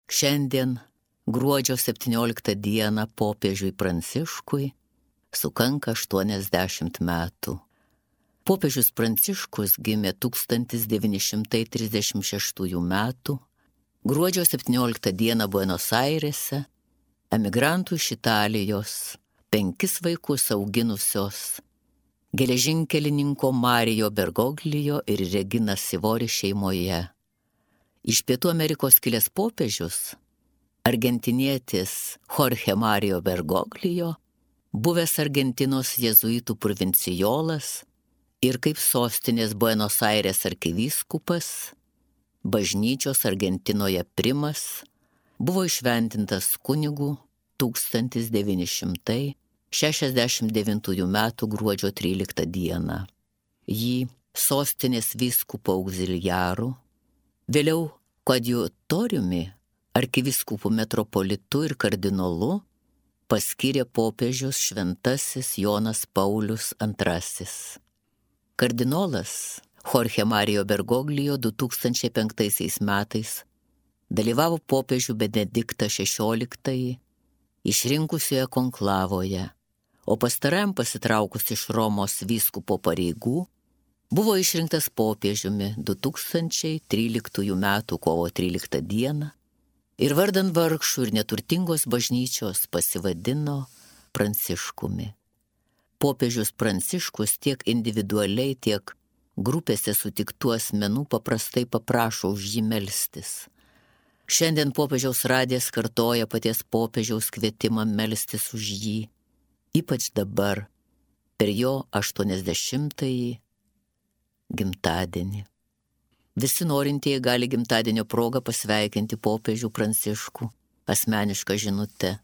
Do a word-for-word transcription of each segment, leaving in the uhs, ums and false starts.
Šiandien, gruodžio septynioliktą dieną, popiežiui Pranciškui sukanka aštuoniasdešimt metų. Popiežius Pranciškus gimė tūkstantis devyni šimtai trisdešimt šeštųjų metų, gruodžio septynioliktą dieną Buenos Airėse, emigrantų iš Italijos, penkis vaikus auginusios geležinkelininko Mario Bergoglio ir Regina Sivori šeimoje. Iš Pietų Amerikos kilęs popiežius, argentinietis Jorge Mario Bergoglio, buvęs Argentinos jėzuitų provincijolas ir kaip sostinės Buenos Aires arkivyskupas, bažnyčios Argentinoje primas, buvo įšventintas kunigu tūkstantis devyni šimtai šešiasdešimt devintųjų metų gruodžio tryliktą dieną. Jį sostinės vyskupo auxiliaru, vėliau koadjutoriumi, arkivyskupų metropolitu ir kardinolu paskyrė popiežius šventasis Jonas Paulius antrasis. Kardinolas Jorge Mario Bergoglio du tūkstančiai penktaisiais metais dalyvavo popiežių Benediktą šešioliktąjį išrinkusioje konklavoje, o pastarajam pasitraukus iš Romos vyskupo pareigų buvo išrinktas popiežiumi du tūkstančiai tryliktųjų metų kovo tryliktą dieną ir vardan vargšų ir neturtingos bažnyčios pasivadino Pranciškumi. Popiežius Pranciškus tiek individualiai, tiek grupėse sutiktų asmenų paprastai paprašo už jį melstis. Šiandien popiežiaus radijas kartoja paties popiežiaus kvietimą melstis už jį, ypač dabar, per jo aštuoniasdešimtąjį gimtadienį. Visi norintieji gali gimtadienio progą pasveikinti popiežių Pranciškų asmenišką žinutę.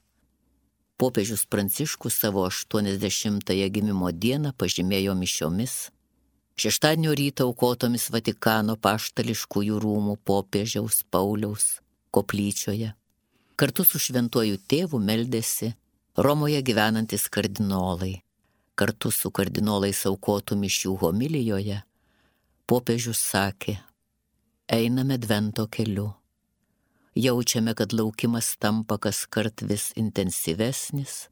Popiežius Pranciškus savo aštuoniasdešimtąją gimimo dieną pažymėjo mišiomis, šeštadienio rytą aukotomis Vatikano paštališkųjų rūmų popiežiaus Pauliaus koplyčioje. Kartu su šventuoju tėvu meldėsi Romoje gyvenantis kardinolai. Kartu su kardinolais aukotų mišių homilijoje popiežius sakė: einame Advento keliu. Jaučiame, kad laukimas tampa kaskart vis intensyvesnis,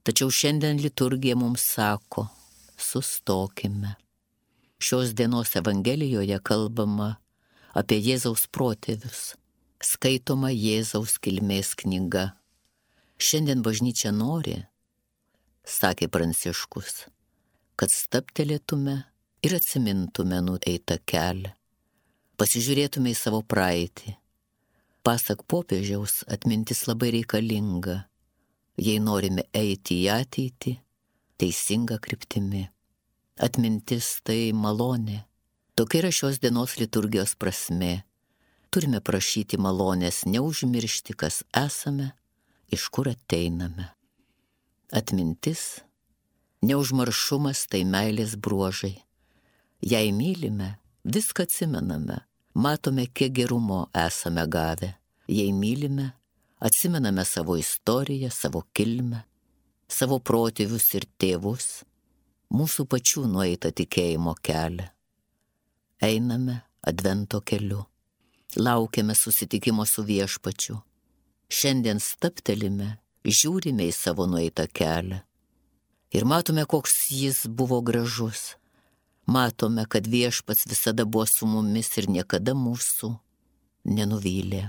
tačiau šiandien liturgija mums sako: sustokime. Šios dienos Evangelijoje kalbama apie Jėzaus protėvius, skaitoma Jėzaus kilmės knyga. Šiandien bažnyčia nori, sakė Pranciškus, kad stabtelėtume ir atsimintume nueitą kelią, pasižiūrėtume į savo praeitį. Pasak popiežiaus, atmintis labai reikalinga, jei norime eiti į ateitį teisinga kryptimi. Atmintis tai malonė. Tokia yra šios dienos liturgijos prasmė. Turime prašyti malonės neužmiršti, kas esame, iš kur ateiname. Atmintis, neužmaršumas tai meilės bruožai. Jei mylime, viską atsimename, matome, kiek gerumo esame gavę. Jei mylime, atsimename savo istoriją, savo kilmę, savo protėvius ir tėvus, mūsų pačių nueitą tikėjimo kelią. Einame Advento keliu, laukiame susitikimo su viešpačiu. Šiandien stabtelime, žiūrime į savo nueitą kelią ir matome, koks jis buvo gražus. Matome, kad viešpats visada buvo su mumis ir niekada mūsų nenuvylė.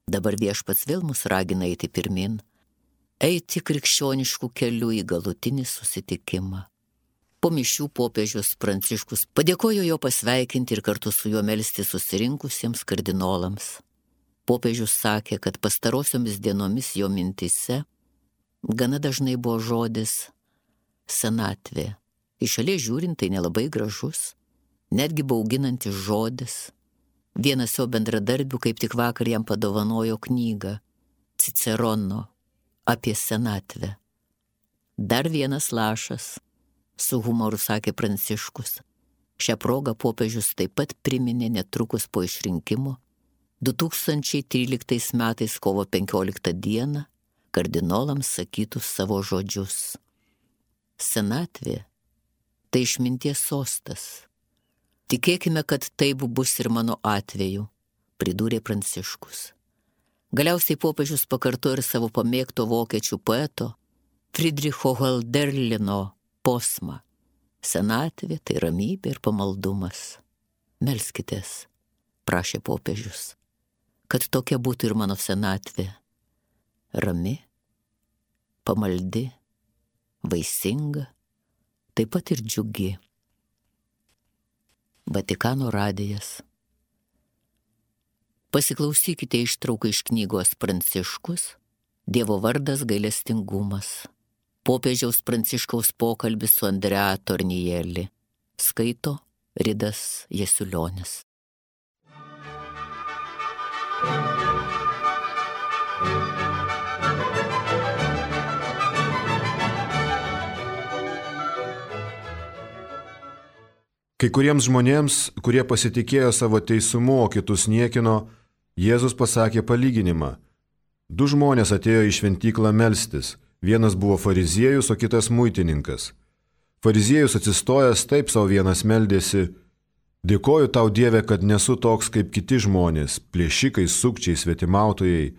Dabar viešpats vėl mus ragina eiti pirmin, eiti krikščioniškų kelių į galutinį susitikimą. Po mišių popiežius Pranciškus padėkojo jo pasveikinti ir kartu su juo melsti susirinkusiems kardinolams. Popiežius sakė, kad pastarosiomis dienomis jo mintise gana dažnai buvo žodis senatvė. Iš šalies žiūrint tai nelabai gražus, netgi bauginantis žodis. Vienas jo bendradarbių kaip tik vakar jam padovanojo knygą Cicerono apie senatvę. Dar vienas lašas, su humoru sakė Pranciškus. Šią progą popiežius taip pat priminė netrukus po išrinkimo du tūkstančiai tryliktais metais kovo penkioliktą dieną kardinolams sakytus savo žodžius. Senatvė tai išminties sostas. Tikėkime, kad taip bus ir mano atveju, pridūrė Pranciškus. Galiausiai popiežius pakartojo ir savo pamėgto vokiečių poeto Friedricho Hölderlino posmą. Senatvė tai ramybė ir pamaldumas. Melskitės, prašė popiežius, kad tokia būtų ir mano senatvė. Rami, pamaldi, vaisinga, taip pat ir džiugi. Vatikano radijas. Pasiklausykite ištrauką iš knygos Pranciškus, Dievo vardas gailestingumas. Popiežiaus Pranciškaus pokalbis su Andrea Tornielli. Skaito Ridas Jasiulionis. Kai kuriems žmonėms, kurie pasitikėjo savo teisumu, o kitus niekino, Jėzus pasakė palyginimą. Du žmonės atėjo į šventyklą melstis. Vienas buvo fariziejus, o kitas muitininkas. Fariziejus atsistojęs taip savo vienas meldėsi: Dėkoju tau, Dieve, kad nesu toks kaip kiti žmonės, plėšikai, sukčiai, svetimautojai,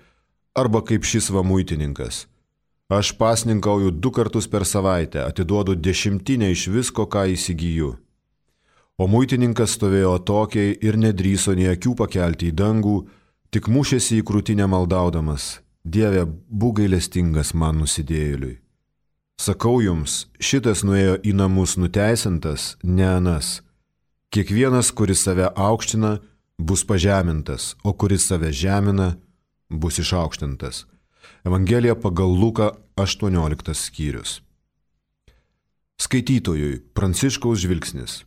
arba kaip šis va muitininkas. Aš pasninkauju du kartus per savaitę, atiduodu dešimtinę iš visko, ką įsigyju. O muitininkas stovėjo atokiai ir nedrįso nei akių pakelti į dangų, tik mušėsi į krūtinę maldaudamas: Dieve, būk gailestingas man nusidėjėliui. Sakau jums, šitas nuėjo į namus nuteisintas, ne anas. Kiekvienas, kuris save aukština, bus pažemintas, o kuris save žemina, bus išaukštintas. Evangelija pagal Luką aštuonioliktas skyrius. Skaitytojui Pranciškaus žvilgsnis.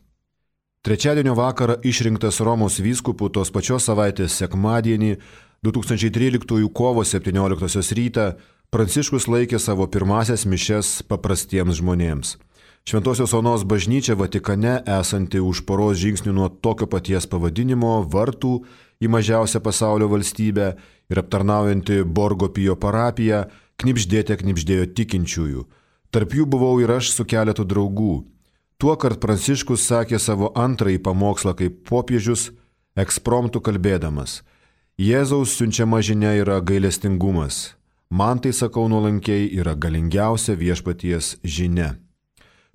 Trečiadienio vakarą išrinktas Romos vyskupu tos pačios savaitės sekmadienį, du tūkstančiai tryliktųjų kovo septynioliktosios rytą, Pranciškus laikė savo pirmasias mišias paprastiems žmonėms. Šventosios Onos bažnyčia Vatikane, esanti už poros žingsnių nuo tokio paties pavadinimo vartų į mažiausią pasaulio valstybę ir aptarnaujanti Borgo Pio parapiją, knibždėte knibždėjo tikinčiųjų. Tarp jų buvau ir aš su keletu draugų. Tuokart Pranciškus sakė savo antrąjį pamokslą kaip popiežius, ekspromtu kalbėdamas: Jėzaus siunčiama žinia yra gailestingumas. Man tai, sakau nuolankiai, yra galingiausia viešpaties žinia.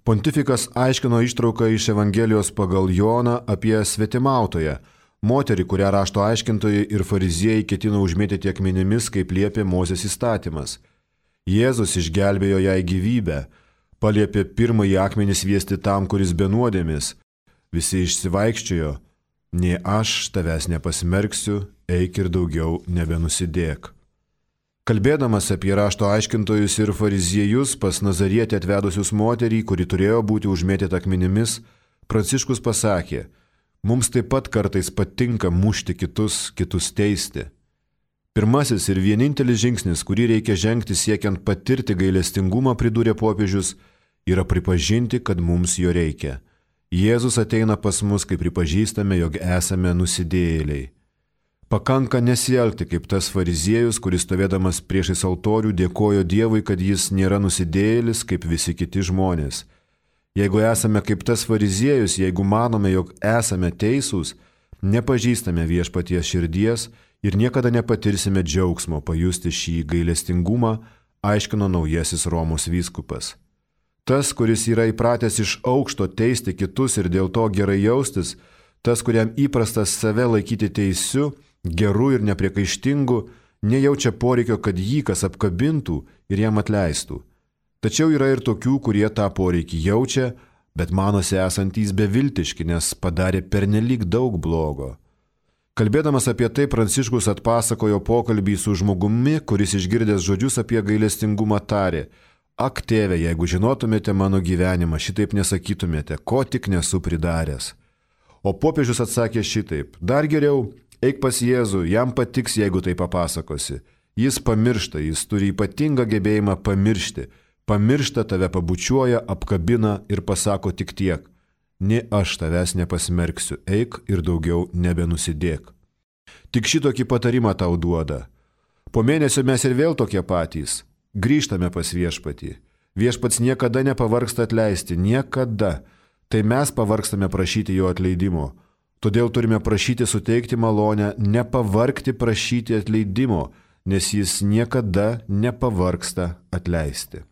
Pontifikas aiškino ištrauką iš Evangelijos pagal Joną apie svetimautoją, moterį, kurią rašto aiškintojai ir fariziejai ketino užmėtyti akmenimis, kaip liepė Mozės įstatymas. Jėzus išgelbėjo jai gyvybę, paliepė pirmąjį akmenį sviesti tam, kuris be nuodėmės. Visi išsivaikščiojo: Nei aš tavęs nepasmerksiu, eik ir daugiau nebenusidėk. Kalbėdamas apie rašto aiškintojus ir fariziejus pas Nazarietę atvedusius moterį, kuri turėjo būti užmėtyta akmenimis, Pranciškus pasakė: Mums taip pat kartais patinka mušti kitus, kitus teisti. Pirmasis ir vienintelis žingsnis, kurį reikia žengti siekiant patirti gailestingumą, pridūrė popiežius, yra pripažinti, kad mums jo reikia. Jėzus ateina pas mus, kai pripažįstame, jog esame nusidėjėliai. Pakanka nesielgti kaip tas fariziejus, kuris stovėdamas priešais altorių dėkojo Dievui, kad jis nėra nusidėjėlis kaip visi kiti žmonės. Jeigu esame kaip tas fariziejus, jeigu manome, jog esame teisūs, nepažįstame viešpaties širdies ir niekada nepatirsime džiaugsmo pajusti šį gailestingumą, aiškino naujasis Romos vyskupas. Tas, kuris yra įpratęs iš aukšto teisti kitus ir dėl to gerai jaustis, tas, kuriam įprastas save laikyti teisiu, geru ir nepriekaištingu, nejaučia poreikio, kad jį kas apkabintų ir jam atleistų. Tačiau yra ir tokių, kurie tą poreikį jaučia, bet manosi esantys beviltiški, nes padarė pernelyg daug blogo. Kalbėdamas apie tai, Pranciškus atpasakojo pokalbį su žmogumi, kuris išgirdęs žodžius apie gailestingumą tarė: Ak, tėve, jeigu žinotumėte mano gyvenimą, šitaip nesakytumėte, ko tik nesu pridaręs. O popiežius atsakė šitaip: Dar geriau, eik pas Jėzų, jam patiks, jeigu tai papasakosi. Jis pamiršta, jis turi ypatingą gebėjimą pamiršti. Pamiršta, tave pabučiuoja, apkabina ir pasako tik tiek: Nė aš tavęs nepasmerksiu, eik ir daugiau nebenusidėk. Tik šitokį patarimą tau duoda. Po mėnesio mes ir vėl tokie patys. Grįžtame pas viešpatį. Viešpats niekada nepavargsta atleisti, niekada. Tai mes pavargstame prašyti jo atleidimo. Todėl turime prašyti suteikti malonę, nepavargti prašyti atleidimo, nes jis niekada nepavargsta atleisti.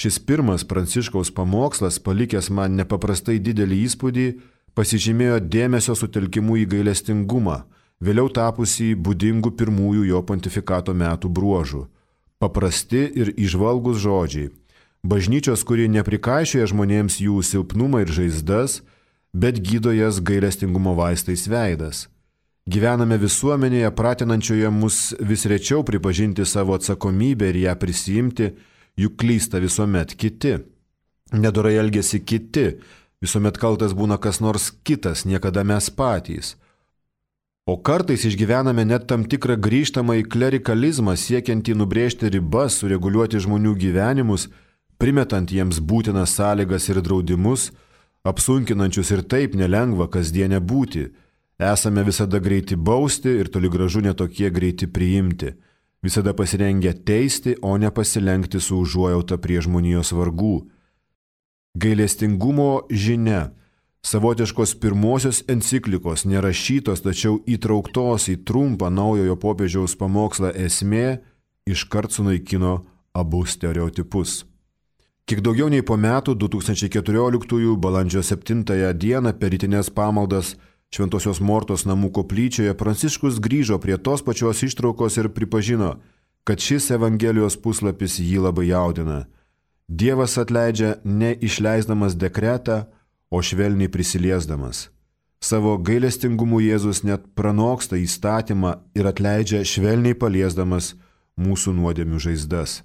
Šis pirmas Pranciškaus pamokslas, palikęs man nepaprastai didelį įspūdį, pasižymėjo dėmesio sutelkimu į gailestingumą, vėliau tapusį būdingų pirmųjų jo pontifikato metų bruožų. Paprasti ir įžvalgūs žodžiai. Bažnyčios, kuri neprikaišioja žmonėms jų silpnumą ir žaizdas, bet gydo jas gailestingumo vaistais veidas. Gyvename visuomenėje, pratinančioje mus vis rečiau pripažinti savo atsakomybę ir ją prisijimti, juk klysta visuomet kiti. Nedorai elgesi kiti, visuomet kaltas būna kas nors kitas, niekada mes patys. O kartais išgyvename net tam tikrą grįžtamą į klerikalizmą, siekiantį nubrėžti ribas, sureguliuoti žmonių gyvenimus, primetant jiems būtinas sąlygas ir draudimus, apsunkinančius ir taip nelengva kasdienę būti. Esame visada greiti bausti ir toli gražu netokie greiti priimti. Visada pasirengę teisti, o ne pasilenkti su užuojauta prie žmonijos vargų. Gailestingumo žinia, savotiškos pirmosios enciklikos, nerašytos, tačiau įtrauktos į trumpą naujojo popiežiaus pamokslą esmė, iškart sunaikino abu stereotipus. Kiek daugiau nei po metų, du tūkstančiai keturioliktųjų balandžio septintąją dieną per rytinės pamaldas Šventosios Mortos namų koplyčioje, Pranciškus grįžo prie tos pačios ištraukos ir pripažino, kad šis Evangelijos puslapis jį labai jaudina. Dievas atleidžia ne išleisdamas dekretą, o švelniai prisiliesdamas. Savo gailestingumu Jėzus net pranoksta įstatymą ir atleidžia švelniai paliesdamas mūsų nuodėmių žaizdas.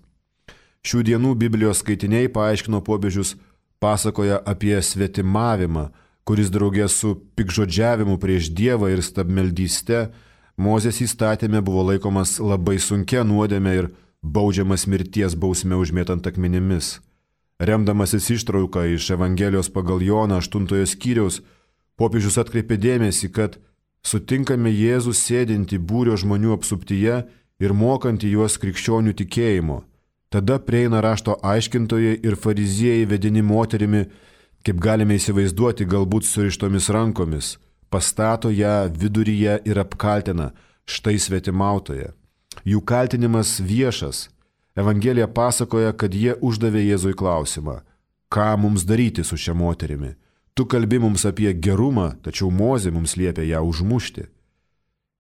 Šių dienų Biblijos skaitiniai, paaiškino popiežius, pasakoja apie svetimavimą, kuris draugė su pikžodžiavimu prieš Dievą ir stabmeldyste Mozės įstatyme buvo laikomas labai sunkia nuodėme ir baudžiamas mirties bausme užmėtant akmenimis. Remdamasis ištrauką iš Evangelijos pagal Joną aštuntojo skyriaus, popiežius atkreipė dėmesį, kad sutinkame Jėzų sėdinti būrio žmonių apsuptyje ir mokantį juos krikščionių tikėjimo. Tada prieina rašto aiškintojai ir fariziejai vedini moterimi, kaip galime įsivaizduoti, galbūt surištomis rankomis, pastato ją viduryje ir apkaltina, štai svetimautoje. Jų kaltinimas viešas. Evangelija pasakoja, kad jie uždavė Jėzui klausimą, ką mums daryti su šia moterimi. Tu kalbi mums apie gerumą, tačiau Mozė mums liepia ją užmušti.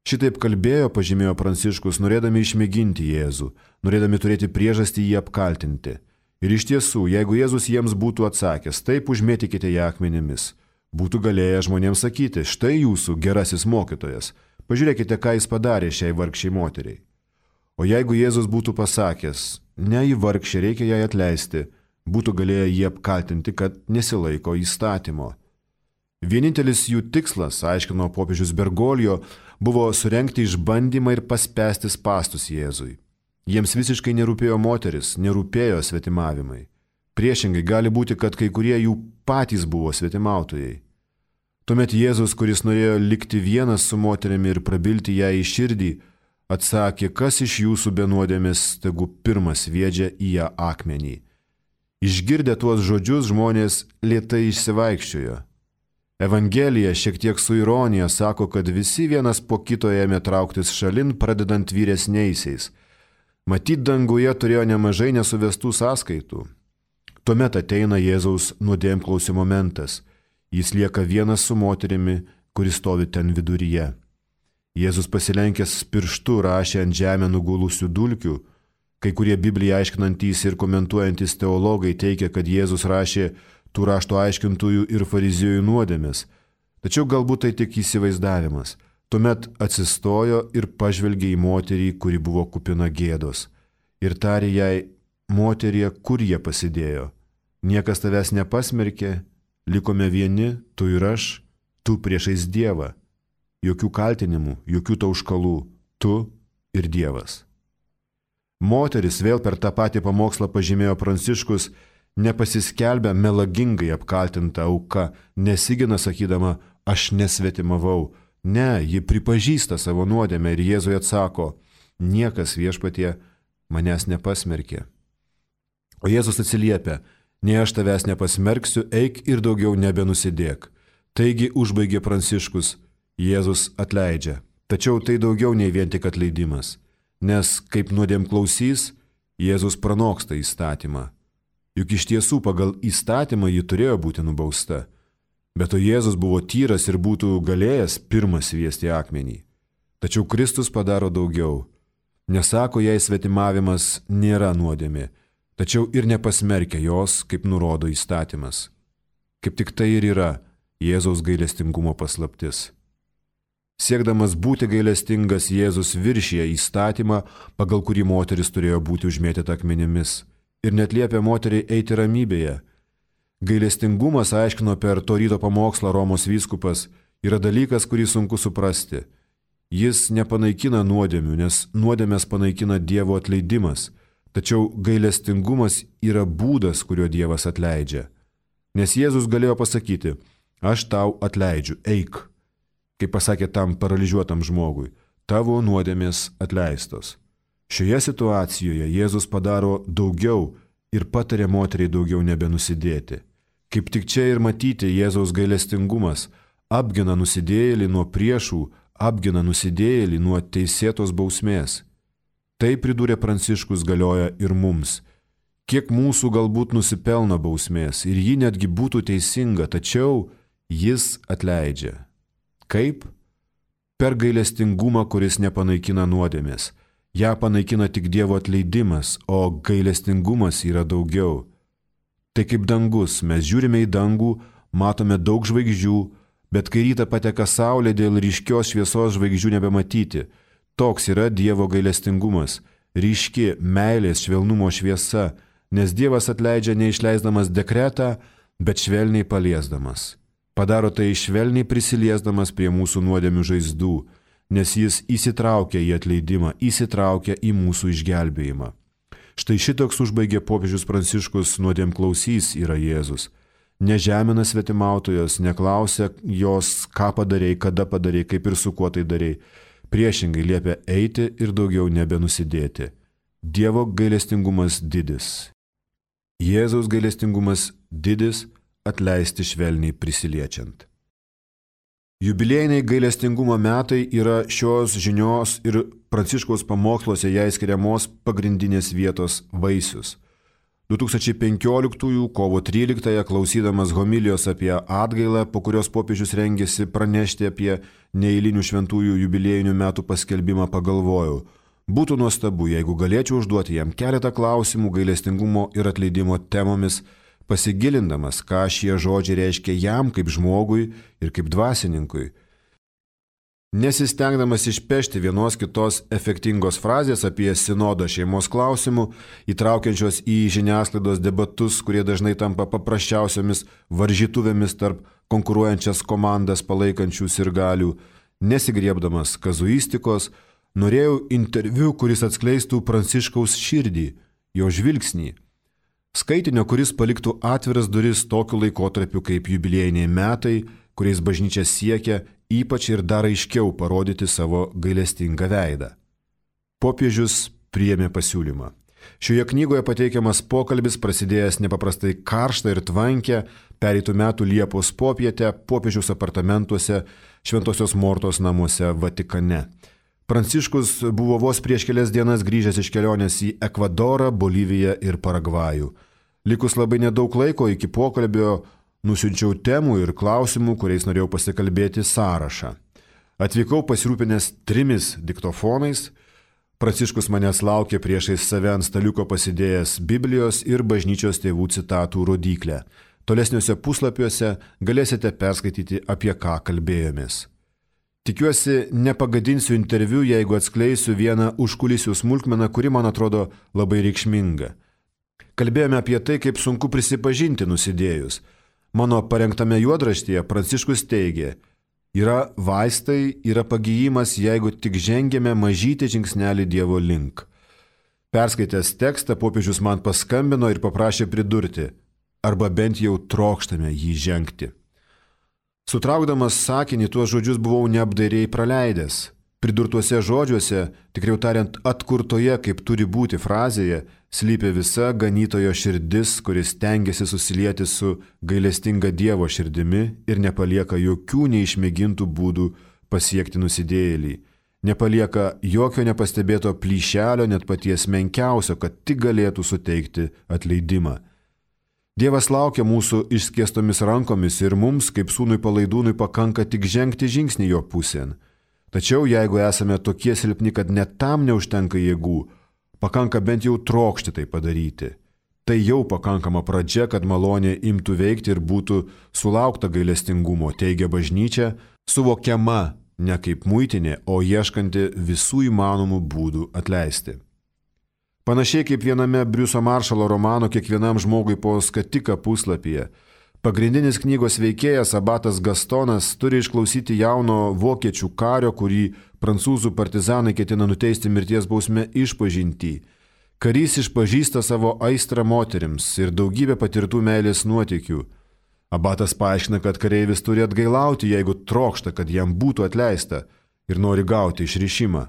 Šitaip kalbėjo, pažymėjo Pranciškus, norėdami išmėginti Jėzų, norėdami turėti priežastį jį apkaltinti. Ir iš tiesų, jeigu Jėzus jiems būtų atsakęs, taip užmėtykite ją akmenimis, būtų galėję žmonėms sakyti, štai jūsų gerasis mokytojas, pažiūrėkite, ką jis padarė šiai vargšiai moteriai. O jeigu Jėzus būtų pasakęs, ne į vargšę reikia jai atleisti, būtų galėję jį apkaltinti, kad nesilaiko įstatymo. Vienintelis jų tikslas, aiškino popiežius Bergoglio, buvo surengti išbandymą ir paspęsti spąstus Jėzui. Jiems visiškai nerūpėjo moteris, nerūpėjo svetimavimai. Priešingai gali būti, kad kai kurie jų patys buvo svetimautojai. Tuomet Jėzus, kuris norėjo likti vienas su moterimi ir prabilti ją į širdį, atsakė, kas iš jūsų be nuodėmės, tegu pirmas sviedžia į ją akmenį. Išgirdę tuos žodžius, žmonės lėtai išsivaikščiojo. Evangelija šiek tiek su ironija sako, kad visi vienas po kito ėmė trauktis šalin, pradedant vyresniaisiais. Matyt, danguje turėjo nemažai nesuvestų sąskaitų. Tuomet ateina Jėzaus nuodėmklausio momentas. Jis lieka vienas su moterimi, kuris stovi ten viduryje. Jėzus pasilenkęs pirštu rašė ant žemę nugulusių dulkių. Kai kurie Bibliją aiškinantys ir komentuojantys teologai teigia, kad Jėzus rašė tų rašto aiškintojų ir fariziejų nuodėmes. Tačiau galbūt tai tik įsivaizdavimas. Tuomet atsistojo ir pažvelgė į moterį, kuri buvo kupina gėdos. Ir tarė jai, moterie, kur jie pasidėjo? Niekas tavęs nepasmerkė, likome vieni, tu ir aš, tu priešais Dievą. Jokių kaltinimų, jokių tauškalų, tu ir Dievas. Moteris, vėl per tą patį pamokslą pažymėjo Pranciškus, nepasiskelbė melagingai apkaltinta auka, nesigina sakydama, aš nesvetimavau. Ne, ji pripažįsta savo nuodėmę ir Jėzui atsako, niekas viešpatie manęs nepasmerkė. O Jėzus atsiliepia, nei aš tavęs nepasmerksiu, eik ir daugiau nebenusidėk. Taigi užbaigė Pranciškus, Jėzus atleidžia. Tačiau tai daugiau nei vien tik atleidimas. nes kaip nuodėmklausys, Jėzus pranoksta įstatymą. Juk iš tiesų pagal įstatymą ji turėjo būti nubausta. Bet o Jėzus buvo tyras ir būtų galėjęs pirmas sviesti akmenį. Tačiau Kristus padaro daugiau. Nesako, jei svetimavimas nėra nuodėmė, tačiau ir nepasmerkia jos, kaip nurodo įstatymas. Kaip tik tai ir yra Jėzaus gailestingumo paslaptis. Siekdamas būti gailestingas, Jėzus viršija įstatymą, pagal kurį moteris turėjo būti užmėtyta akmenimis, ir net liepia moteriai eiti ramybėje. Gailestingumas, aiškino per to ryto pamokslą Romos vyskupas, yra dalykas, kurį sunku suprasti. Jis nepanaikina nuodėmių, nes nuodėmės panaikina Dievo atleidimas, tačiau gailestingumas yra būdas, kuriuo Dievas atleidžia. Nes Jėzus galėjo pasakyti, aš tau atleidžiu, eik. Kaip pasakė tam paralyžiuotam žmogui, tavo nuodėmės atleistos. Šioje situacijoje Jėzus padaro daugiau ir patarė moteriai daugiau nebenusidėti. Kaip tik čia ir matyti Jėzaus gailestingumas, apgina nusidėjėlį nuo priešų, apgina nusidėjėlį nuo teisėtos bausmės. Tai, pridūrė Pranciškus, galioja ir mums. Kiek mūsų galbūt nusipelna bausmės ir ji netgi būtų teisinga, tačiau jis atleidžia. Kaip? Per gailestingumą, kuris nepanaikina nuodėmės. Ja panaikina tik Dievo atleidimas, o gailestingumas yra daugiau. Tai kaip dangus, mes žiūrime į dangų, matome daug žvaigždžių, bet kai rytą pateka saulė, dėl ryškios šviesos žvaigždžių nebematyti. Toks yra Dievo gailestingumas, ryški meilės švelnumo šviesa, nes Dievas atleidžia neišleisdamas dekretą, bet švelniai paliesdamas. Padaro tai švelniai prisiliesdamas prie mūsų nuodėmių žaizdų, nes jis įsitraukia į atleidimą, įsitraukia į mūsų išgelbėjimą. Štai šitoks užbaigė popiežius Pranciškus nuodėmklausys yra Jėzus. Nežemina svetimautojos, neklausia jos, ką padarei, kada padarei, kaip ir su kuo tai darei. Priešingai liepia eiti ir daugiau nebenusidėti. Dievo gailestingumas didis. Jėzaus gailestingumas didis, atleisti švelniai prisiliečiant. Jubiliejiniai gailestingumo metai yra šios žinios ir Pranciškaus pamoksluose jai skiriamos pagrindinės vietos vaisius. du tūkstančiai penkioliktųjų kovo tryliktąją, klausydamas homilijos apie atgailą, po kurios popiežius rengėsi pranešti apie neeilinių šventųjų jubiliejinių metų paskelbimą, pagalvojau, būtų nuostabu, jeigu galėčiau užduoti jam keletą klausimų gailestingumo ir atleidimo temomis, pasigilindamas, ką šie žodžiai reiškia jam kaip žmogui ir kaip dvasininkui. Nesistengdamas išpešti vienos kitos efektingos frazės apie sinodą šeimos klausimų, įtraukiančios į žiniasklaidos debatus, kurie dažnai tampa paprasčiausiamis varžytuvėmis tarp konkuruojančias komandas palaikančių sirgalių, nesigriebdamas kazuistikos, norėjau interviu, kuris atskleistų Pranciškaus širdį, jo žvilgsnį. Skaitinio, kuris paliktų atviras duris tokiu laikotarpiu kaip jubiliejiniai metai, kuriais bažnyčia siekia ypač ir dar aiškiau parodyti savo gailestingą veidą. Popiežius priėmė pasiūlymą. Šioje knygoje pateikiamas pokalbis, prasidėjęs nepaprastai karštą ir tvankę, pereitų metų Liepos popietę popiežiaus apartamentuose Šventosios Mortos namuose Vatikane. Pranciškus buvo vos prieš kelias dienas grįžęs iš kelionės į Ekvadorą, Boliviją ir Paragvajų. Likus labai nedaug laiko iki pokalbio nusiunčiau temų ir klausimų, kuriais norėjau pasikalbėti sąrašą. Atvykau pasirūpinęs trimis diktofonais. Pranciškus manęs laukė priešais save ant staliuko pasidėjęs Biblijos ir bažnyčios tėvų citatų rodyklę. Tolesniuose puslapiuose galėsite perskaityti, apie ką kalbėjomės. Tikiuosi, nepagadinsiu interviu, jeigu atskleisiu vieną užkulisių smulkmeną, kuri man atrodo labai reikšminga. Kalbėjome apie tai, kaip sunku prisipažinti nusidėjus. Mano parengtame juodraštyje Pranciškus teigė, yra vaistai, yra pagyjimas, jeigu tik žengėme mažytį žingsnelį Dievo link. Perskaitęs tekstą, popiežius man paskambino ir paprašė pridurti, arba bent jau trokštame jį žengti. Sutraukdamas sakinį, tuos žodžius buvau neapdairiai praleidęs. Pridurtuose žodžiuose, tikriau tariant atkurtoje, kaip turi būti frazėje, slypi visa ganytojo širdis, kuris stengiasi susilieti su gailestinga Dievo širdimi ir nepalieka jokių neišmėgintų būdų pasiekti nusidėjėlį. nepalieka jokio nepastebėto plyšelio, net paties menkiausio, kad tik galėtų suteikti atleidimą. Dievas laukia mūsų išskėstomis rankomis ir mums, kaip sūnui palaidūnui, pakanka tik žengti žingsnį jo pusėn. Tačiau jeigu esame tokie silpni, kad net tam neužtenka jėgų, pakanka bent jau trokšti tai padaryti. Tai jau pakankama pradžia, kad malonė imtų veikti ir būtų sulaukta gailestingumo, teigia bažnyčia, suvokiama ne kaip muitinė, o ieškanti visų įmanomų būdų atleisti. Panašiai kaip viename Briuso Maršalo romano Kiekvienam žmogui po skatiką puslapyje, pagrindinis knygos veikėjas abatas Gastonas turi išklausyti jauno vokiečių kario, kurį prancūzų partizanai ketina nuteisti mirties bausme, išpažintį. Karys išpažįsta savo aistrą moterims ir daugybę patirtų meilės nuotykių. Abatas paaiškina, kad kareivis turi atgailauti, jeigu trokšta, kad jam būtų atleista ir nori gauti išrišimą.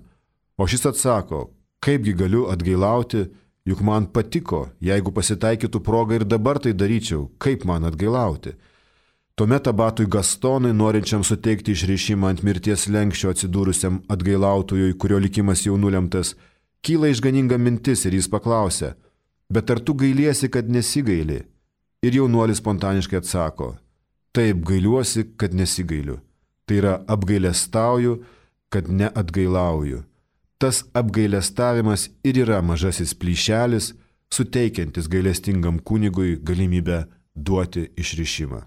O šis atsako, kaipgi galiu atgailauti, juk man patiko, jeigu pasitaikytų proga ir dabar tai daryčiau, kaip man atgailauti. Tuomet abatui Gastonui, norinčiam suteikti išrišimą ant mirties slenksčio atsidūrusiam atgailautojui, kurio likimas jau nulemtas, kyla išganinga mintis ir jis paklausia, bet ar tu gailiesi, kad nesigaili? Ir jaunuolis spontaniškai atsako, taip gailiuosi, kad nesigailiu. Tai yra apgailestauju, kad neatgailauju. Tas apgailestavimas ir yra mažasis plyšelis, suteikiantis gailestingam kunigui galimybę duoti išrišimą.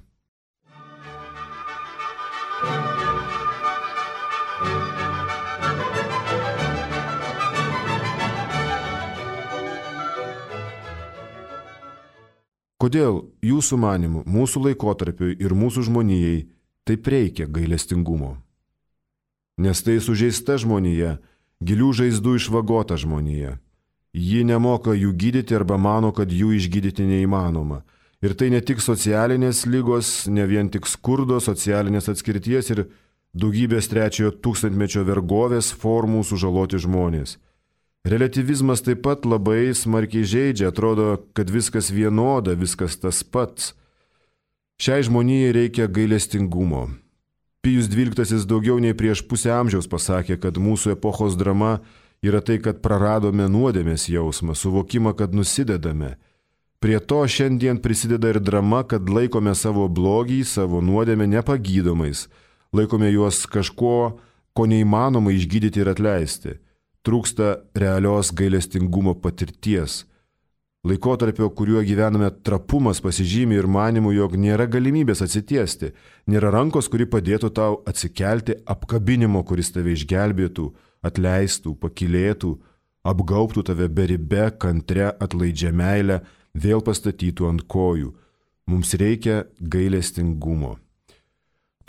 Kodėl jūsų manimu, mūsų laikotarpiui ir mūsų žmonijai taip reikia gailestingumo? Nes tai sužeista žmonija, gilių žaizdų išvagota žmonija. Ji nemoka jų gydyti arba mano, kad jų išgydyti neįmanoma. Ir tai ne tik socialinės ligos, ne vien tik skurdo, socialinės atskirties ir daugybės trečiojo tūkstantmečio vergovės formų sužaloti žmonės. Reliatyvizmas taip pat labai smarkiai žeidžia, atrodo, kad viskas vienoda, viskas tas pats. Šiai žmonijai reikia gailestingumo. Pijus dvyliktasis daugiau nei prieš pusę amžiaus pasakė, kad mūsų epochos drama yra tai, kad praradome nuodėmės jausmą, suvokimą, kad nusidedame. Prie to šiandien prisideda ir drama, kad laikome savo blogį, savo nuodėmę nepagydomais, laikome juos kažko, ko neįmanoma išgydyti ir atleisti. Trūksta realios gailestingumo patirties. Laikotarpio, kuriuo gyvename, trapumas pasižymi ir manimų, jog nėra galimybės atsitiesti, nėra rankos, kuri padėtų tau atsikelti, apkabinimo, kuris tave išgelbėtų, atleistų, pakylėtų, apgaubtų tave beribe, kantre, atlaidžia meilę, vėl pastatytų ant kojų. Mums reikia gailestingumo.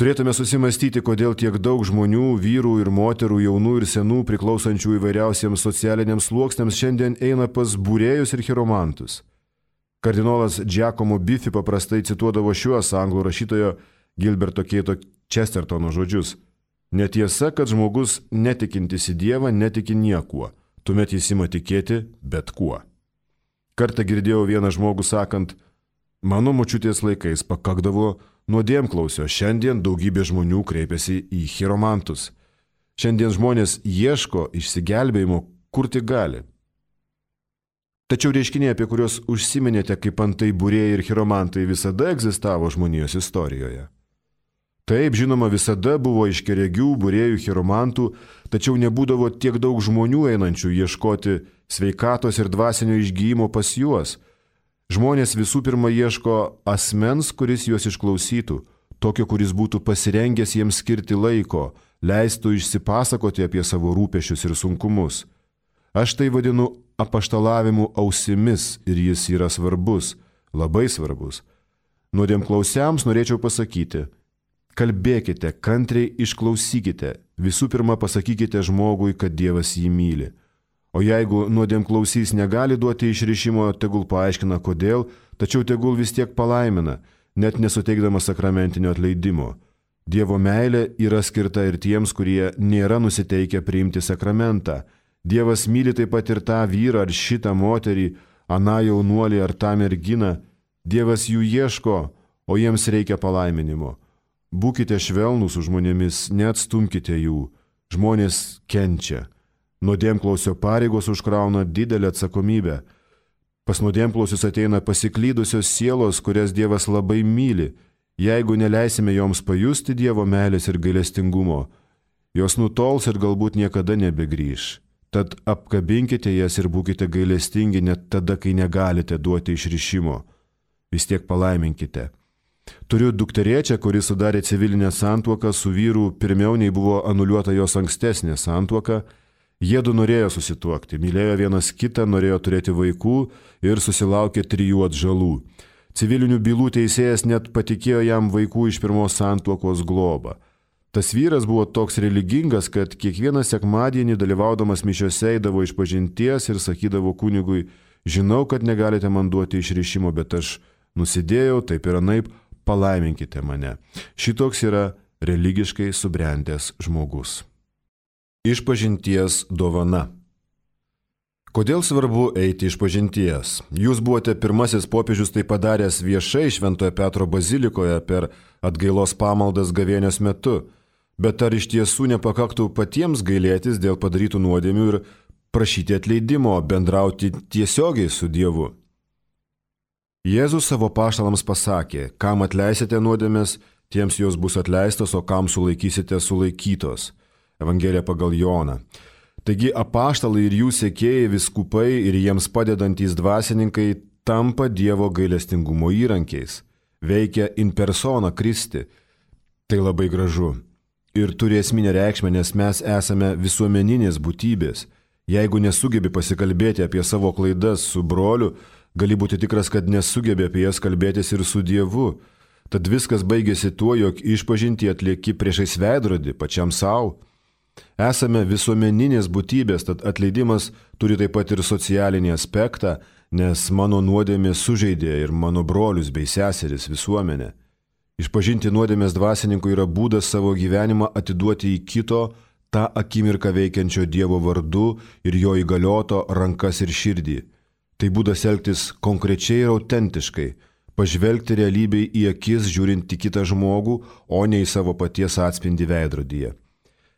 Turėtume susimastyti, kodėl tiek daug žmonių, vyrų ir moterų, jaunų ir senų, priklausančių įvairiausiems socialiniams sluoksniams, šiandien eina pas būrėjus ir chiromantus. Kardinolas Giacomo Biffi paprastai cituodavo šiuos anglų rašytojo Gilberto Keito Chestertono žodžius. Netiesa, kad žmogus netikintis į Dievą netiki niekuo, tuomet jis ima tikėti bet kuo. Kartą girdėjau vieną žmogų sakant, mano močiutės laikais pakakdavo nuodėmklausio, šiandien daugybė žmonių kreipiasi į chiromantus. Šiandien žmonės ieško išsigelbėjimo, kur tik gali. Tačiau reiškiniai, apie kuriuos užsiminėte kaip antai būrėjai ir chiromantai, visada egzistavo žmonijos istorijoje. Taip, žinoma, visada buvo aiškiaregių, būrėjų, chiromantų, tačiau nebūdavo tiek daug žmonių einančių ieškoti sveikatos ir dvasinio išgyjimo pas juos. Žmonės visų pirma ieško asmens, kuris juos išklausytų, tokio, kuris būtų pasirengęs jiems skirti laiko, leistų išsipasakoti apie savo rūpesčius ir sunkumus. Aš tai vadinu apaštalavimu ausimis ir jis yra svarbus, labai svarbus. Nuodėmklausiams norėčiau pasakyti, kalbėkite, kantriai išklausykite, visų pirma pasakykite žmogui, kad Dievas jį myli. O jeigu nuodėmklausys negali duoti išrišimo, tegul paaiškina kodėl, tačiau tegul vis tiek palaimina, net nesuteikdamas sakramentinio atleidimo. Dievo meilė yra skirta ir tiems, kurie nėra nusiteikę priimti sakramentą. Dievas myli taip pat ir tą vyrą ar šitą moterį, aną jaunuolį ar tą merginą. Dievas jų ieško, o jiems reikia palaiminimo. Būkite švelnūs su žmonėmis, neatstumkite jų. Žmonės kenčia. Nuodėmklausio pareigos užkrauna didelę atsakomybę. Pas nuodėmklausius ateina pasiklydusios sielos, kurias Dievas labai myli. Jeigu neleisime joms pajusti Dievo meilės ir gailestingumo, jos nutols ir galbūt niekada nebegrįš. Tad apkabinkite jas ir būkite gailestingi net tada, kai negalite duoti išrišimo. Vis tiek palaiminkite. Turiu dukterėčią, kuri sudarė civilinę santuoką su vyru pirmiau nei buvo anuliuota jos ankstesnė santuoka. Jiedu norėjo susituokti, mylėjo vienas kitą, norėjo turėti vaikų ir susilaukė trijų atžalų. Civilinių bylų teisėjas net patikėjo jam vaikų iš pirmos santuokos globą. Tas vyras buvo toks religingas, kad kiekvieną sekmadienį dalyvaudamas mišiose eidavo išpažinties ir sakydavo kunigui: žinau, kad negalite man duoti išrišimo, bet aš nusidėjau, taip ir anaip, palaiminkite mane. Šitoks yra religiškai subrendęs žmogus. Išpažinties dovana. Kodėl svarbu eiti išpažinties? Jūs buvote pirmasis popiežius tai padaręs viešai Šventojo Petro bazilikoje per atgailos pamaldas gavėnios metu. Bet ar iš tiesų nepakaktų patiems gailėtis dėl padarytų nuodėmių ir prašyti atleidimo, bendrauti tiesiogiai su Dievu? Jėzus savo apaštalams pasakė: kam atleisite nuodėmes, tiems jos bus atleistos, o kam sulaikysite, sulaikytos. Evangelija pagal Joną. Taigi apaštalai ir jų sekėjai, vyskupai ir jiems padedantys dvasininkai tampa Dievo gailestingumo įrankiais. Veikia in persona Kristi. Tai labai gražu. Ir turi esminę reikšmę, nes mes esame visuomeninės būtybės. Jeigu nesugebi pasikalbėti apie savo klaidas su broliu, gali būti tikras, kad nesugebi apie jas kalbėtis ir su Dievu. Tad viskas baigėsi tuo, jog išpažintį atlieki priešais veidrodį, pačiam savo. Esame visuomeninės būtybės, tad atleidimas turi taip pat ir socialinį aspektą, nes mano nuodėmė sužeidė ir mano brolius bei seseris visuomenę. Išpažinti nuodėmės dvasininkui yra būdas savo gyvenimą atiduoti į kito, tą akimirką veikiančio Dievo vardu ir jo įgalioto rankas ir širdį. Tai būdas elgtis konkrečiai ir autentiškai, pažvelgti realybei į akis, žiūrint į kitą žmogų, o ne į savo paties atspindį veidrodyje.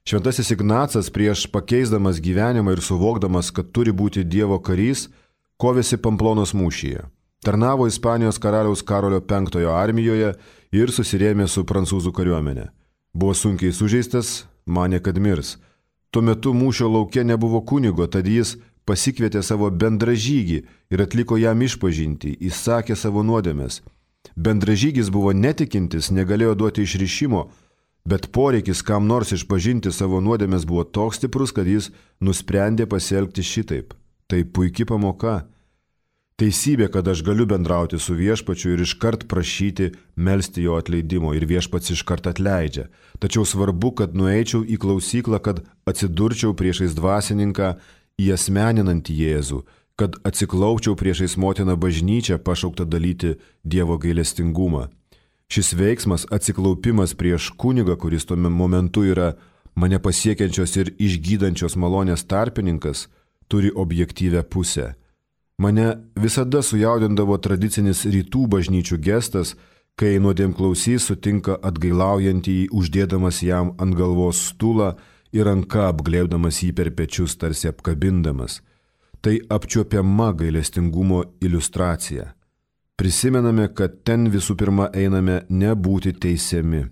Šventasis Ignacas prieš pakeisdamas gyvenimą ir suvokdamas, kad turi būti Dievo karys, kovėsi Pamplonos mūšyje. Tarnavo Ispanijos karaliaus Karolio penktojo armijoje ir susirėmė su prancūzų kariuomenė. Buvo sunkiai sužeistas, manė, kad mirs. Tuo metu mūšio lauke nebuvo kunigo, tad jis pasikvietė savo bendražygį ir atliko jam išpažintį, įsakė savo nuodėmes. Bendražygis buvo netikintis, negalėjo duoti išrišimo, bet poreikis kam nors išpažinti savo nuodėmes buvo toks stiprus, kad jis nusprendė pasielgti šitaip. Tai puiki pamoka. Teisybė, kad aš galiu bendrauti su viešpačiu ir iškart prašyti melsti jo atleidimo ir viešpats iškart atleidžia. Tačiau svarbu, kad nueičiau į klausyklą, kad atsidurčiau priešais dvasininką, įasmeninantį Jėzų, kad atsiklaupčiau priešais motiną bažnyčią pašauktą dalyti Dievo gailestingumą. Šis veiksmas, atsiklaupimas prieš kunigą, kuris tuo momentu yra mane pasiekiančios ir išgydančios malonės tarpininkas, turi objektyvę pusę. Mane visada sujaudindavo tradicinis rytų bažnyčių gestas, kai nuodėmklausys sutinka atgailaujantįjį, uždėdamas jam ant galvos stulą ir ranka apglėbdamas jį per pečius, tarsi apkabindamas. Tai apčiuopiama gailestingumo iliustracija. Prisimename, kad ten visų pirma einame nebūti teisiami.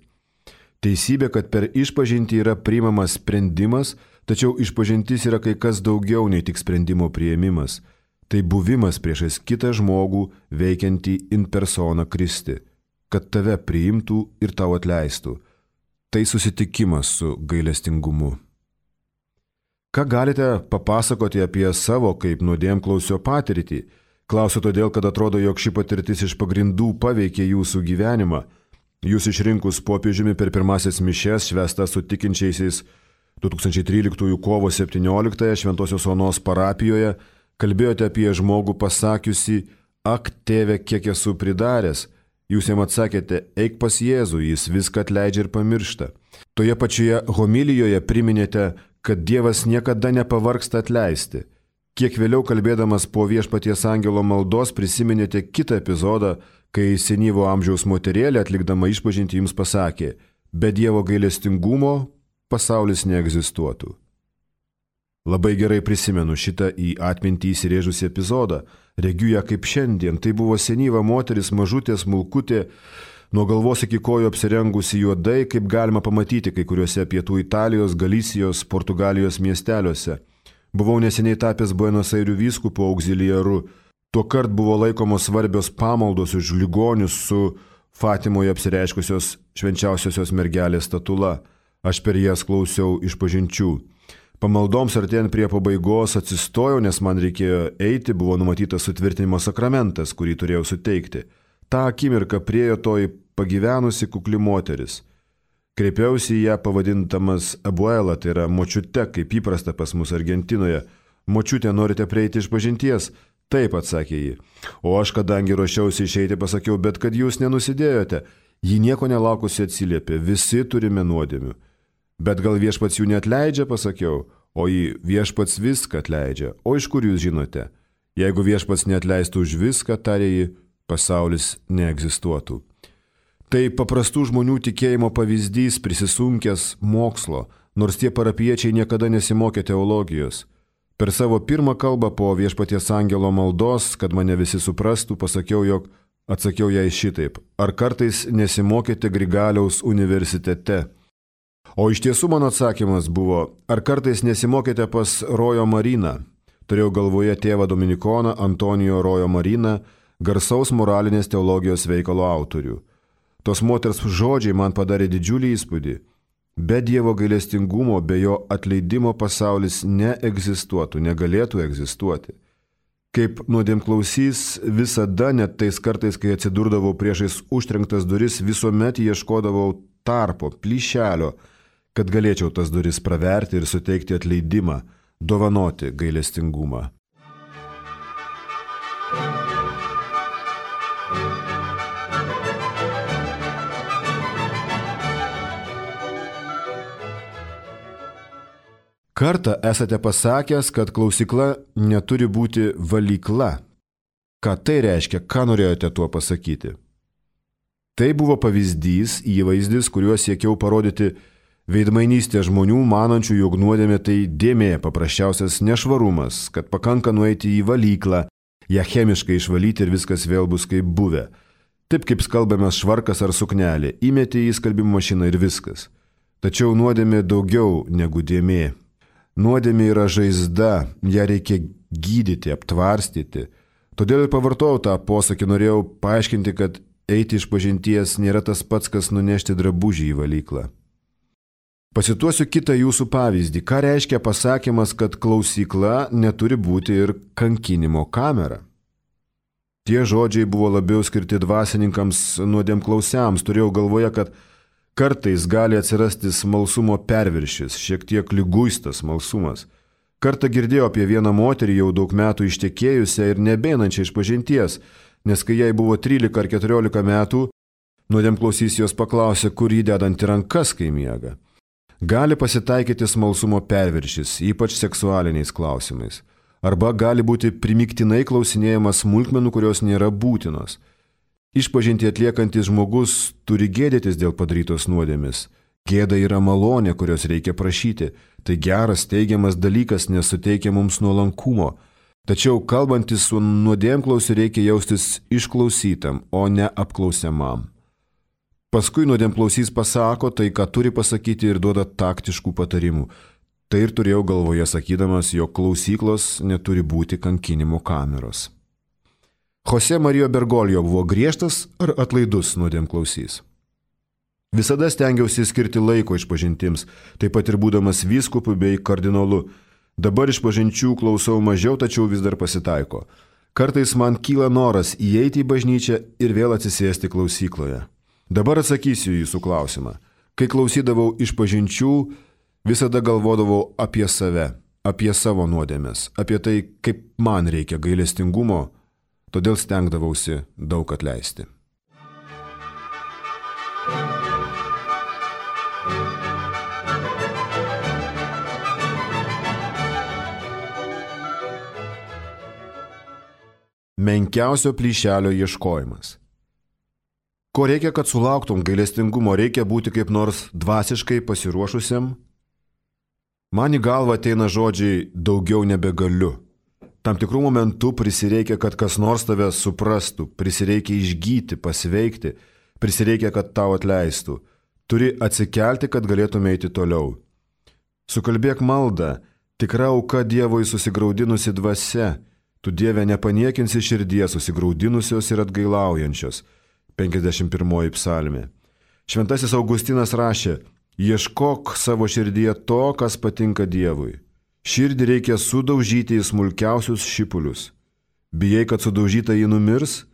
Teisybė, kad per išpažintį yra priimamas sprendimas, tačiau išpažintis yra kai kas daugiau nei tik sprendimo priėmimas. Tai buvimas priešais kitą žmogų veikiantį in persona Kristi, kad tave priimtų ir tau atleistų. Tai susitikimas su gailestingumu. Ką galite papasakoti apie savo kaip nuodėmklausio patirtį? Klausiu todėl, kad atrodo, jog ši patirtis iš pagrindų paveikė jūsų gyvenimą. Jūs išrinkus popiežiumi per pirmasis mišias švęstas su tikinčiaisiais du tūkstančiai tryliktųjų kovo septynioliktąją Šventosios Onos parapijoje, kalbėjote apie žmogų pasakiusi: ak, tėve, kiek esu pridaręs. Jūs jam atsakėte: eik pas Jėzų, jis viską atleidžia ir pamiršta. Toje pačioje homilijoje priminėte, kad Dievas niekada nepavargsta atleisti. Kiek vėliau kalbėdamas po viešpaties angelo maldos prisiminėte kitą epizodą, kai senyvo amžiaus moterėlė atlikdama išpažintį jums pasakė: be Dievo gailestingumo pasaulis neegzistuotų. Labai gerai prisimenu šitą į atmintį įsirėžusį epizodą, regiu ją kaip šiandien. Tai buvo senyva moteris, mažutė, smulkutė, nuo galvos iki kojų apsirengusi juodai, kaip galima pamatyti kai kuriuose pietų Italijos, Galisijos, Portugalijos miesteliuose. Buvau neseniai tapęs Buenos Airių vyskupu auxiliaru. Tuokart buvo laikomos svarbios pamaldos už ligonius su Fatimoje apsireiškusios švenčiausiosios mergelės statula. Aš per jas klausiau išpažinčių. Pamaldoms artėjant prie pabaigos atsistojau, nes man reikėjo eiti, buvo numatytas sutvirtinimo sakramentas, kurį turėjau suteikti. Ta akimirka priejo toji pagyvenusi kukli moteris. Kreipiausi į ją pavadintamas abuela, tai yra močiute, kaip įprasta pas mus Argentinoje. Močiutė, norite prieiti išpažinties? Taip, atsakė ji. O aš, kadangi ruošiausi išeiti, pasakiau, bet kad jūs nenusidėjote. Ji nieko nelaukusi atsiliepė, visi turime nuodėmių. Bet gal viešpats jų neatleidžia, pasakiau, o jį viešpats viską atleidžia. O iš kur jūs žinote? Jeigu viešpats neatleistų už viską, tarė ji, pasaulis neegzistuotų. Tai paprastų žmonių tikėjimo pavyzdys prisisunkęs mokslo, nors tie parapiečiai niekada nesimokė teologijos. Per savo pirmą kalbą po viešpaties angelo maldos, kad mane visi suprastų, pasakiau, jog atsakiau jai šitaip. Ar kartais nesimokėte Grigaliaus universitete? O iš tiesų mano atsakymas buvo, ar kartais nesimokėte pas Rojo Mariną? Turėjau galvoje tėvą dominikoną Antonijo Rojo Mariną, garsaus moralinės teologijos veikalo autorių. Tos moters žodžiai man padarė didžiulį įspūdį. Be Dievo gailestingumo, be jo atleidimo pasaulis neegzistuotų, negalėtų egzistuoti. Kaip nuodėmklausys, visada, net tais kartais, kai atsidurdavau priešais užtrenktas duris, visuomet ieškodavau tarpo, plyšelio, kad galėčiau tas duris praverti ir suteikti atleidimą, dovanoti gailestingumą. Kartą esate pasakęs, kad klausykla neturi būti valykla. Ką tai reiškia, ką norėjote tuo pasakyti? Tai buvo pavyzdys, įvaizdis, kuriuo siekiau parodyti veidmainystė žmonių, manančių, jog nuodėmė tai dėmė, paprasčiausias nešvarumas, kad pakanka nueiti į valyklą, ją chemiškai išvalyti ir viskas vėl bus kaip buvę. Taip kaip skalbiamas švarkas ar suknelė, įmeti į skalbimo mašiną ir viskas. Tačiau nuodėmė daugiau negu dėmė. Nuodėmė yra žaizda, ją reikia gydyti, aptvarstyti. Todėl ir pavartojau tą posakį, norėjau paaiškinti, kad eiti išpažinties nėra tas pats, kas nunešti drabužį į valyklą. Pasituosiu kitą jūsų pavyzdį. Ką reiškia pasakymas, kad klausykla neturi būti ir kankinimo kamera? Tie žodžiai buvo labiau skirti dvasininkams nuodėmklausiams. Turėjau galvoje, kad kartais gali atsirasti smalsumo perviršis, šiek tiek liguistas smalsumas. Kartą girdėjau apie vieną moterį jau daug metų ištekėjusią ir nebeinančią išpažinties, nes kai jai buvo trylika ar keturiolika metų, nuodėmklausys jos paklausė, kur jį dedanti rankas, kai miega. Gali pasitaikyti smalsumo perviršis, ypač seksualiniais klausimais. Arba gali būti primiktinai klausinėjamas smulkmenų, kurios nėra būtinos. Išpažinti atliekantis žmogus turi gėdytis dėl padarytos nuodėmės. Gėda yra malonė, kurios reikia prašyti. Tai geras, teigiamas dalykas, nes suteikia mums nuolankumo. Tačiau kalbantis su nuodėmklausiu reikia jaustis išklausytam, o ne apklausiamam. Paskui nuodėmklausys pasako tai, ką turi pasakyti ir duoda taktiškų patarimų. Tai ir turėjau galvoje sakydamas, jog klausyklos neturi būti kankinimo kameros. Jose Marijo Bergoglio buvo griežtas ar atlaidus nuodėmklausys. Visada stengiausi skirti laiko išpažintims, taip pat ir būdamas vyskupu bei kardinolu. Dabar išpažinčių klausau mažiau, tačiau vis dar pasitaiko. Kartais man kyla noras įeiti į bažnyčią ir vėl atsisėsti klausykloje. Dabar atsakysiu į jūsų klausimą. Kai klausydavau išpažinčių, visada galvodavau apie save, apie savo nuodėmes, apie tai, kaip man reikia gailestingumo, todėl stengdavausi daug atleisti. Menkiausio plyšelio ieškojimas. Ko reikia, kad sulauktum gailestingumo, reikia būti kaip nors dvasiškai pasiruošusiam, Man į galvą ateina žodžiai daugiau nebegaliu. Tam tikrų momentų prisireikia, kad kas nors tave suprastų, prisireikia išgyti, pasveikti, prisireikia, kad tau atleistų. Turi atsikelti, kad galėtume eiti toliau. Sukalbėk maldą, tikra auka Dievui susigraudinusi dvasia, tu Dieve nepaniekinsi širdies susigraudinusios ir atgailaujančios. penkiasdešimt pirmoji psalmė. Šventasis Augustinas rašė, ieškok savo širdyje to, kas patinka Dievui. Širdį reikia sudaužyti į smulkiausius šipulius. Bijai, kad sudaužyta jį numirs?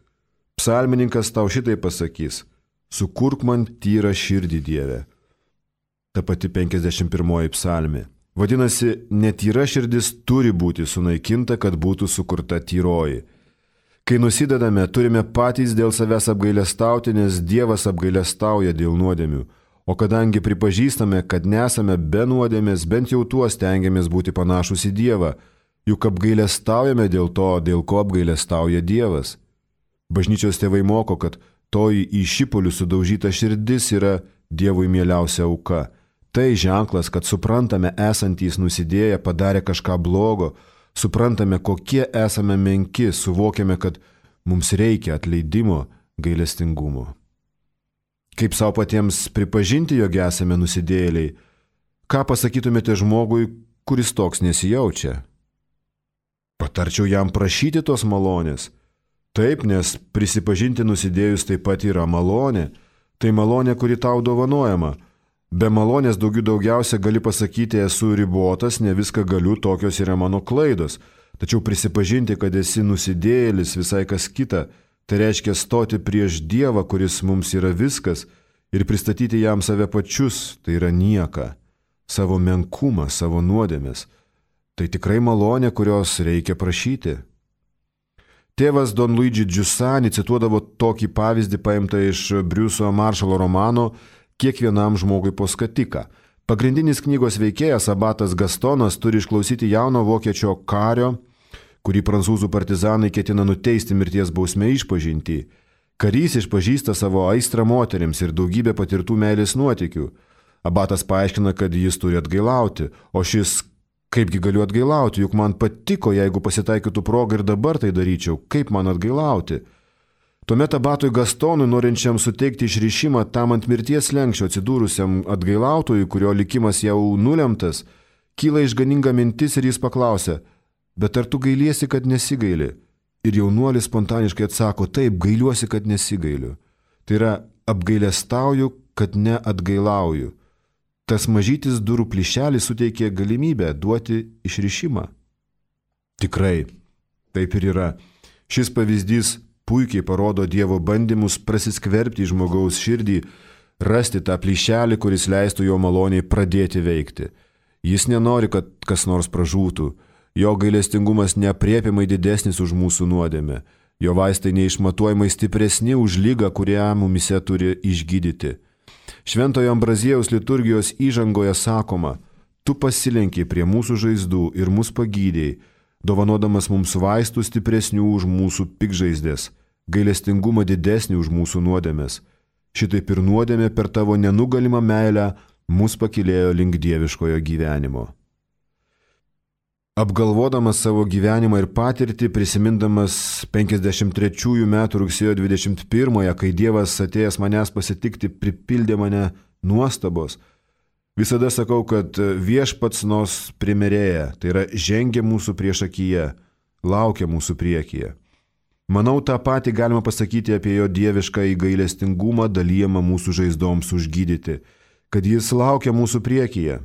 Psalmininkas tau šitai pasakys, sukurk man tyrą širdį, Dieve. Ta pati penkiasdešimt pirmoji psalmė. Vadinasi, netyra širdis turi būti sunaikinta, kad būtų sukurta tyroji. Kai nusidedame, turime patys dėl savęs apgailestauti, nes Dievas apgailestauja dėl nuodėmių. O kadangi pripažįstame, kad nesame be nuodėmės, bent jau tuo stengiamės būti panašus į Dievą, juk apgailestaujame dėl to, dėl ko apgailestauja Dievas. Bažnyčios tėvai moko, kad toji į šipulių sudaužyta širdis yra Dievui mieliausia auka. Tai ženklas, kad suprantame esantys nusidėję padarė kažką blogo, suprantame, kokie esame menki, suvokiame, kad mums reikia atleidimo, gailestingumo. Kaip savo patiems pripažinti, jog esame nusidėjėliai? Ką pasakytumėte žmogui, kuris toks nesijaučia? Patarčiau jam prašyti tos malonės. Taip, nes prisipažinti nusidėjus taip pat yra malonė. Tai malonė, kuri tau dovanojama. Be malonės daugiau daugiausia gali pasakyti, esu ribotas, ne viską galiu, tokios yra mano klaidos. Tačiau prisipažinti, kad esi nusidėjėlis, visai kas kita. Tai reiškia stoti prieš Dievą, kuris mums yra viskas, ir pristatyti jam save pačius, tai yra nieką, savo menkumą, savo nuodėmes. Tai tikrai malonė, kurios reikia prašyti. Tėvas Don Luigi Giussani cituodavo tokį pavyzdį paimtą iš Briuso Maršalo romano Kiekvienam žmogui po skatiką. Pagrindinis knygos veikėjas abatas Gastonas turi išklausyti jauno vokiečio kario, kurį prancūzų partizanai ketina nuteisti mirties bausme išpažintį. Karys išpažįsta savo aistrą moterims ir daugybę patirtų meilės nuotykių. Abatas paaiškina, kad jis turi atgailauti, o šis, kaipgi galiu atgailauti, juk man patiko, jeigu pasitaikytų proga ir dabar tai daryčiau, kaip man atgailauti. Tuomet abatui Gastonui, norinčiam suteikti išrišimą tam ant mirties slenksčio atsidūrusiam atgailautojui, kurio likimas jau nulemtas, kyla išganinga mintis ir jis paklausia, bet ar tu gailiesi, kad nesigaili? Ir jaunuolis spontaniškai atsako, taip, gailiuosi, kad nesigailiu. Tai yra, apgailestauju, kad neatgailauju. Tas mažytis durų plyšelis suteikė galimybę duoti išrišimą. Tikrai, taip ir yra. Šis pavyzdys puikiai parodo Dievo bandymus prasiskverbti į žmogaus širdį, rasti tą plyšelį, kuris leistų jo maloniai pradėti veikti. Jis nenori, kad kas nors pražūtų. Jo gailestingumas neaprėpiamai didesnis už mūsų nuodėmę. Jo vaistai neišmatuojamai stipresni už ligą, kurią mumise turi išgydyti. Šventojo Ambraziejaus liturgijos įžangoje sakoma, tu pasilenkiai prie mūsų žaizdų ir mus pagydėjai, dovanodamas mums vaistų stipresnių už mūsų pikžaizdės, gailestingumą didesnį už mūsų nuodėmės. Šitaip ir nuodėmė per tavo nenugalimą meilę mus pakylėjo link dieviškojo gyvenimo. Apgalvodamas savo gyvenimą ir patirtį, prisimindamas penkiasdešimt trečiųjų metų rugsėjo dvidešimt pirmąją, kai Dievas atėjęs manęs pasitikti pripildė mane nuostabos, visada sakau, kad viešpats nos primerėja, tai yra žengia mūsų priešakyje, laukia mūsų priekyje. Manau, tą patį galima pasakyti apie jo dievišką gailestingumą dalijamą mūsų žaizdoms užgydyti, kad jis laukia mūsų priekyje.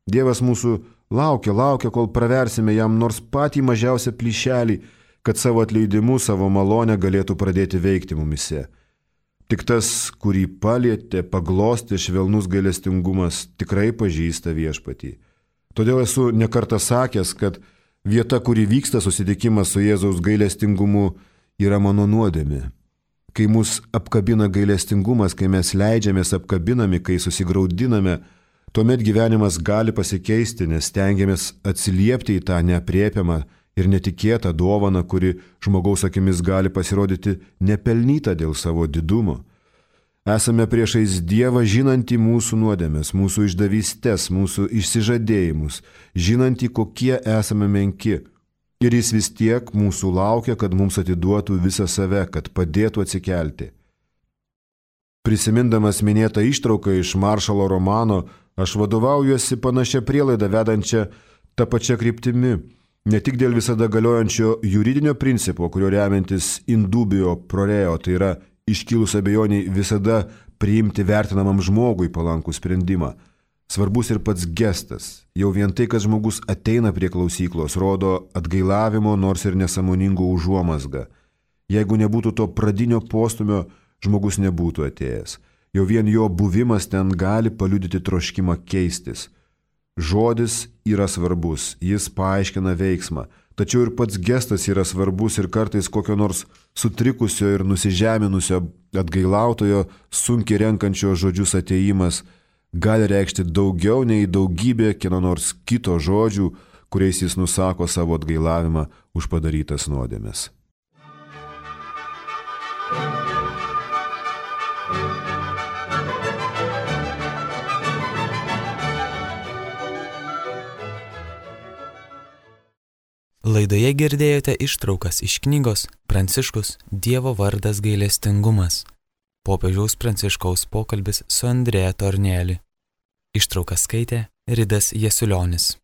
Dievas mūsų laukia, laukia, kol praversime jam nors patį mažiausią plyšelį, kad savo atleidimu, savo malonę galėtų pradėti veikti mumise. Tik tas, kurį palietė, paglostė švelnus gailestingumas, tikrai pažįsta viešpatį. Todėl esu nekartą sakęs, kad vieta, kuri vyksta susitikimas su Jėzaus gailestingumu, yra mano nuodėmė. Kai mus apkabina gailestingumas, kai mes leidžiamės apkabinami, kai susigraudiname, tuomet gyvenimas gali pasikeisti, nes stengiamės atsiliepti į tą neaprėpiamą ir netikėtą dovaną, kuri žmogaus akimis gali pasirodyti nepelnyta dėl savo didumo. Esame priešais Dievą žinantį mūsų nuodėmes, mūsų išdavystės, mūsų išsižadėjimus, žinantį, kokie esame menki. Ir jis vis tiek mūsų laukia, kad mums atiduotų visą save, kad padėtų atsikelti. Prisimindamas minėtą ištrauką iš Maršalo romano, aš vadovaujuosi panašia prielaida vedančia tą pačią kryptimi, ne tik dėl visada galiojančio juridinio principo, kurio remiantis indubio proreo, tai yra iškilus abejoniai visada priimti vertinamam žmogui palankų sprendimą. Svarbus ir pats gestas. Jau vien tai, kad žmogus ateina prie klausyklos, rodo atgailavimo nors ir nesąmoningo užuomazgą. Jeigu nebūtų to pradinio postumio, žmogus nebūtų atėjęs. Jau vien jo buvimas ten gali paliudyti troškimą keistis. Žodis yra svarbus, jis paaiškina veiksmą, tačiau ir pats gestas yra svarbus ir kartais kokio nors sutrikusio ir nusižeminusio atgailautojo sunkiai renkančio žodžius atėjimas gali reikšti daugiau nei daugybė kieno nors kito žodžių, kuriais jis nusako savo atgailavimą už padarytas nuodėmes. Laidoje girdėjote ištraukas iš knygos Pranciškus Dievo vardas gailestingumas. Popiežiaus Pranciškaus pokalbis su Andrea Tornelli. Ištrauką skaitė Ridas Jasiulionis.